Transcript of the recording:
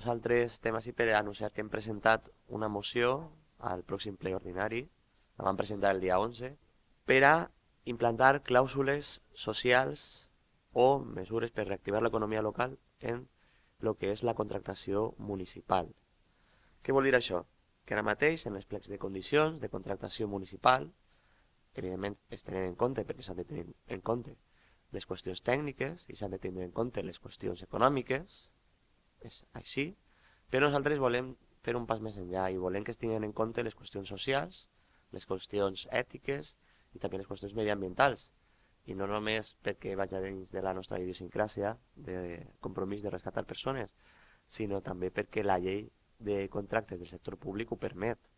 Nosaltres estem així per anunciar que hem presentat una moció al pròxim ple ordinari, la vam presentar el dia 11, per a implantar clàusules socials o mesures per reactivar l'economia local en el que és la contractació municipal. Què vol dir això? Que ara mateix en els plecs de condicions de contractació municipal, evidentment es tenen en compte perquè s'han de tenir en compte les qüestions tècniques i s'han de tenir en compte les qüestions econòmiques, és així, però nosaltres volem fer un pas més enllà i volem que es tinguin en compte les qüestions socials, les qüestions ètiques i també les qüestions mediambientals. I no només perquè vaig dins de la nostra idiosincràsia de compromís de rescatar persones, sinó també perquè la llei de contractes del sector públic ho permet.